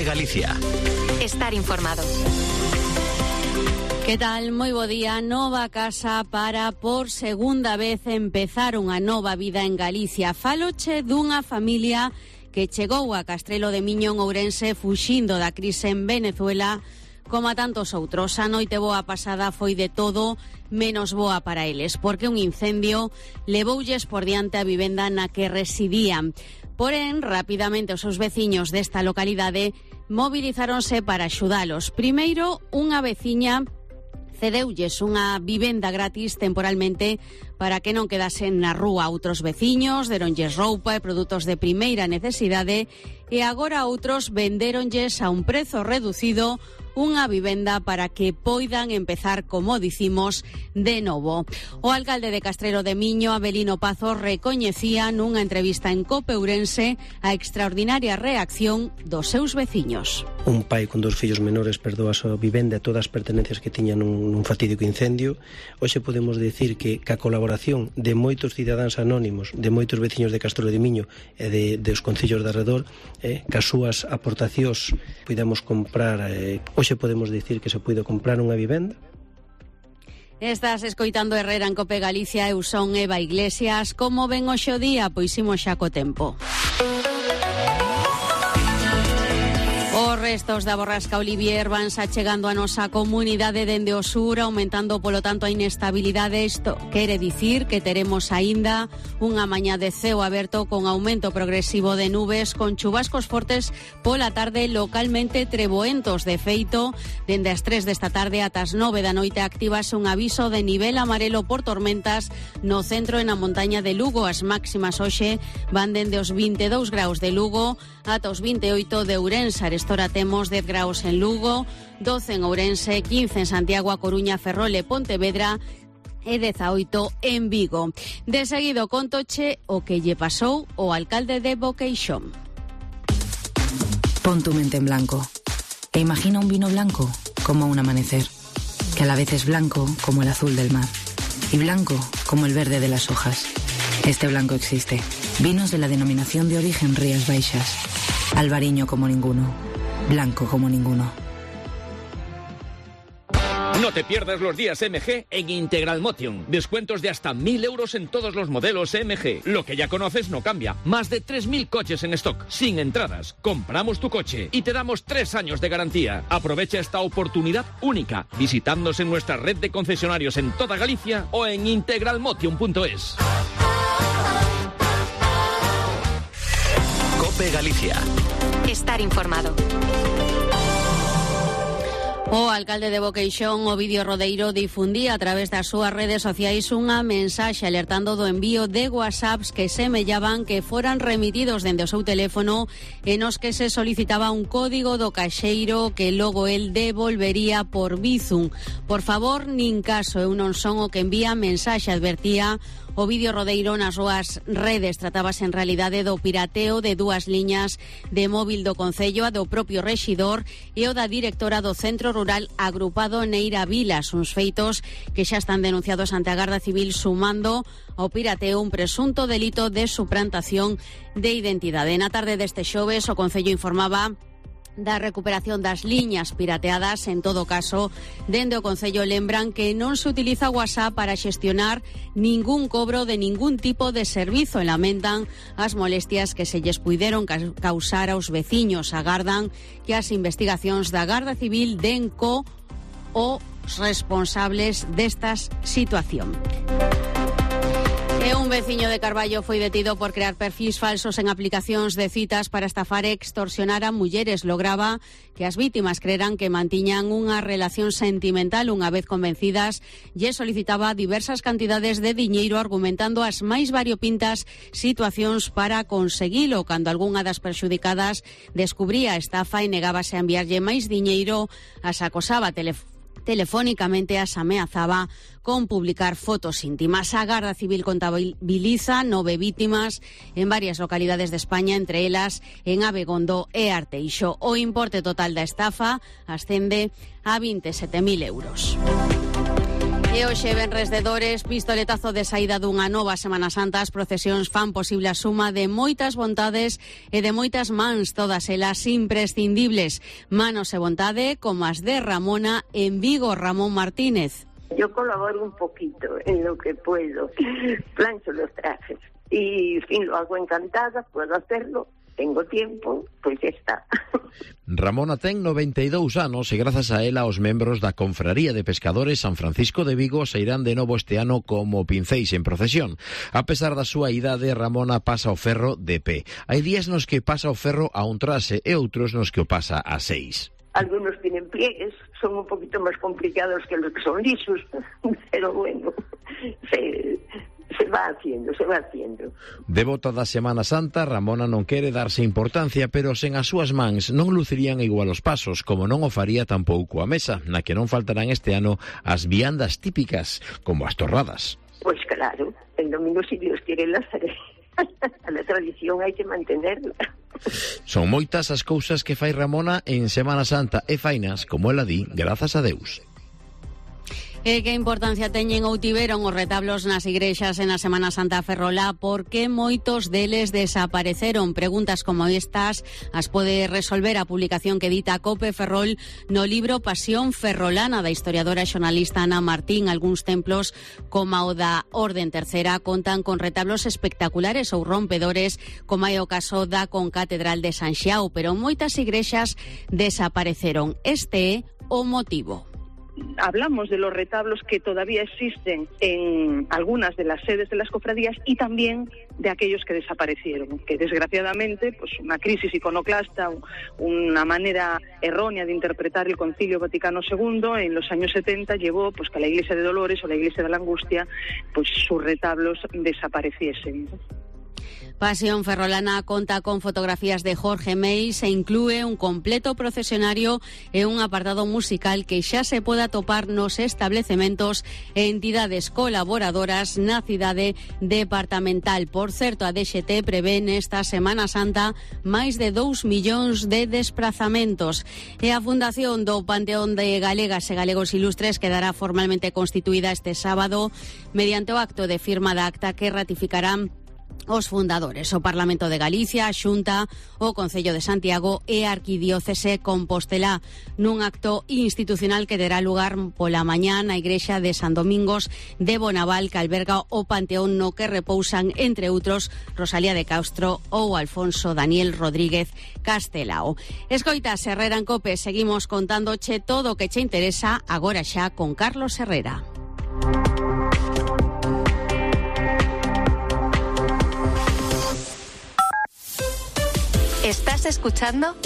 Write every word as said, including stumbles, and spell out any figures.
Galicia. Estar informado. Que tal? Moi bo día. Nova casa para, por segunda vez, empezar unha nova vida en Galicia. Faloche dunha familia que chegou a Castrelo de Miño en Ourense fuxindo da crise en Venezuela, como a tantos outros. A noite boa pasada foi de todo menos boa para eles, porque un incendio levoulles por diante a vivenda na que residían. Porén, rapidamente os seus veciños desta localidade movilizáronse para axudalos. Primeiro, unha veciña cedeulles unha vivenda gratis temporalmente para que non quedasen na rúa. Outros veciños deronlles roupa e produtos de primeira necesidade e agora outros vendéronlles a un prezo reducido unha vivenda para que poidan empezar, como dicimos, de novo. O alcalde de Castrelo de Miño, Abelino Pazo, recoñecía nunha entrevista en Cope Ourense a extraordinaria reacción dos seus veciños. Un pai con dos fillos menores perdeu a súa vivenda e todas as pertenencias que tiñan nun, nun fatídico incendio. Hoxe podemos decir que ca colaboración de moitos cidadáns anónimos, de moitos veciños de Castrelo de Miño e de, de os concellos de arredor, eh, ca súas aportacións podemos comprar, eh, hoxe podemos dicir que se puido comprar unha vivenda. Estás escoitando Herrera en Cope Galicia. Eu son Eva Iglesias. Como ven hoxe o día? Pois imos xa co tempo. Os restos da borrasca Olivier vanse achegando a nosa comunidade dende o sur, aumentando polo tanto a inestabilidade. Isto quere dicir que teremos aínda unha mañá de ceo aberto con aumento progresivo de nubes, con chubascos fortes pola tarde, localmente treboentos. De feito, dende as tres desta tarde ata as nove da noite actívase un aviso de nivel amarelo por tormentas no centro e na montaña de Lugo. As máximas hoxe van dende os vinte e dous graus de Lugo ata os vinte e oito de Ourense. Ahora temos dez graus en Lugo, doce en Ourense, quince en Santiago, A Coruña, Ferrol e Pontevedra e dezaoito en Vigo. De seguido contoche o que lle pasou o alcalde de Boqueixón. Pon tu mente en blanco e imagina un vino blanco como un amanecer, que a la vez es blanco como el azul del mar y blanco como el verde de las hojas. Este blanco existe. Vinos de la denominación de origen Rías Baixas. Albariño como ninguno. Blanco como ninguno. No te pierdas los días M G en Integral Motion. Descuentos de hasta mil euros en todos los modelos M G. Lo que ya conoces no cambia. Más de tres mil coches en stock, sin entradas. Compramos tu coche y te damos tres años de garantía. Aprovecha esta oportunidad única visitándonos en nuestra red de concesionarios en toda Galicia o en integral motion punto es. Cope Galicia. Estar informado. O alcalde de Boqueixón, Ovidio Rodeiro, difundía a través das súas redes sociais unha mensaxe alertando do envío de whatsapps que semellaban que foran remitidos dende o seu teléfono e nos que se solicitaba un código do caixeiro que logo el devolvería por Bizum. Por favor, nin caso, eu non son o que envía mensaxe, advertía Ovidio Rodeiro nas súas redes. Tratábase en realidade do pirateo de dúas liñas de móvil do Concello, a do propio rexidor e o da directora do Centro Rural Agrupado Neira Vilas, uns feitos que xa están denunciados ante a Garda Civil, sumando ao pirateo un presunto delito de suplantación de identidade. Na tarde deste xoves, o Concello informaba da recuperación das liñas pirateadas. En todo caso, dende o Concello lembran que non se utiliza WhatsApp para xestionar ningún cobro de ningún tipo de servizo e lamentan as molestias que se lles puideron causar aos veciños. Agardan que as investigacións da Garda Civil den co os responsables destas situación. E un veciño de Carballo foi detido por crear perfis falsos en aplicacións de citas para estafar e extorsionar a mulleres. Lograba que as vítimas creran que mantiñan unha relación sentimental unha vez convencidas e solicitaba diversas cantidades de diñeiro, argumentando as máis variopintas situacións para conseguilo. Cando algunha das perxudicadas descubría a estafa e negábase a enviarlle máis diñeiro, as acosaba telefónicamente telefónicamente, as ameazaba con publicar fotos íntimas. A Garda Civil contabiliza nove vítimas en varias localidades de España, entre elas en Abegondo e Arteixo. O importe total da estafa ascende a veintisiete mil euros. E hoxe, venres de Dores, pistoletazo de saída dunha nova Semana Santa. As procesións fan posible a suma de moitas vontades e de moitas mans, todas elas imprescindibles. Manos e vontade como as de Ramona en Vigo. Ramón Martínez. Yo colaboro un poquito en lo que puedo, plancho los trajes y, en fin, lo hago encantada, puedo hacerlo. Tengo tiempo, pois pues está. Ramona ten noventa e dous anos e grazas a ela os membros da Confraría de Pescadores San Francisco de Vigo se irán de novo este ano como pincéis en procesión. A pesar da súa idade, Ramona pasa o ferro de pé. Hai días nos que pasa o ferro a un trase e outros nos que o pasa a seis. Algunos tienen pliegues, son un poquito más complicados que los que son lisos, pero bueno, se... Se va haciendo, se va haciendo. Devota da Semana Santa, Ramona non quere darse importancia, pero sen as súas mans non lucirían igual os pasos, como non o faría tampouco a mesa, na que non faltarán este ano as viandas típicas, como as torradas. Pois pues claro, el domingo, si Dios quiere, las haré. A la tradición hai que mantenerla. Son moitas as cousas que fai Ramona en Semana Santa e fainas, como ela di, grazas a Deus. E que importancia teñen ou tiveron os retablos nas igrexas en a Semana Santa ferrolá? Por que moitos deles desapareceron? Preguntas como estas as pode resolver a publicación que edita Cope Ferrol no libro Pasión Ferrolana da historiadora e xornalista Ana Martín. Algúns templos, como o da Orden Tercera, contan con retablos espectaculares ou rompedores, como é o caso da Concatedral de San Xiao, pero moitas igrexas desapareceron. Este é o motivo. Hablamos de los retablos que todavía existen en algunas de las sedes de las cofradías y también de aquellos que desaparecieron, que desgraciadamente pues una crisis iconoclasta, una manera errónea de interpretar el Concilio Vaticano segundo en los años setenta llevó pues que la Iglesia de Dolores o la Iglesia de la Angustia pues sus retablos desapareciesen. Pasión Ferrolana conta con fotografías de Jorge Meis e inclúe un completo procesionario e un apartado musical que xa se poda topar nos establecementos e entidades colaboradoras na cidade departamental. Por certo, a D X T prevé nesta Semana Santa máis de dous millóns de desplazamentos. E a Fundación do Panteón de Galegas e Galegos Ilustres quedará formalmente constituída este sábado mediante o acto de firma da acta que ratificarán os fundadores, o Parlamento de Galicia, a Xunta, o Concello de Santiago e a Arquidiócese Compostelá, nun acto institucional que terá lugar pola mañá na Igrexa de San Domingos de Bonaval, que alberga o panteón no que repousan, entre outros, Rosalía de Castro ou Alfonso Daniel Rodríguez Castelao. Escoitas Herrera en Cope, seguimos contándoche todo o que che interesa agora xa con Carlos Herrera. ¿Estás escuchando?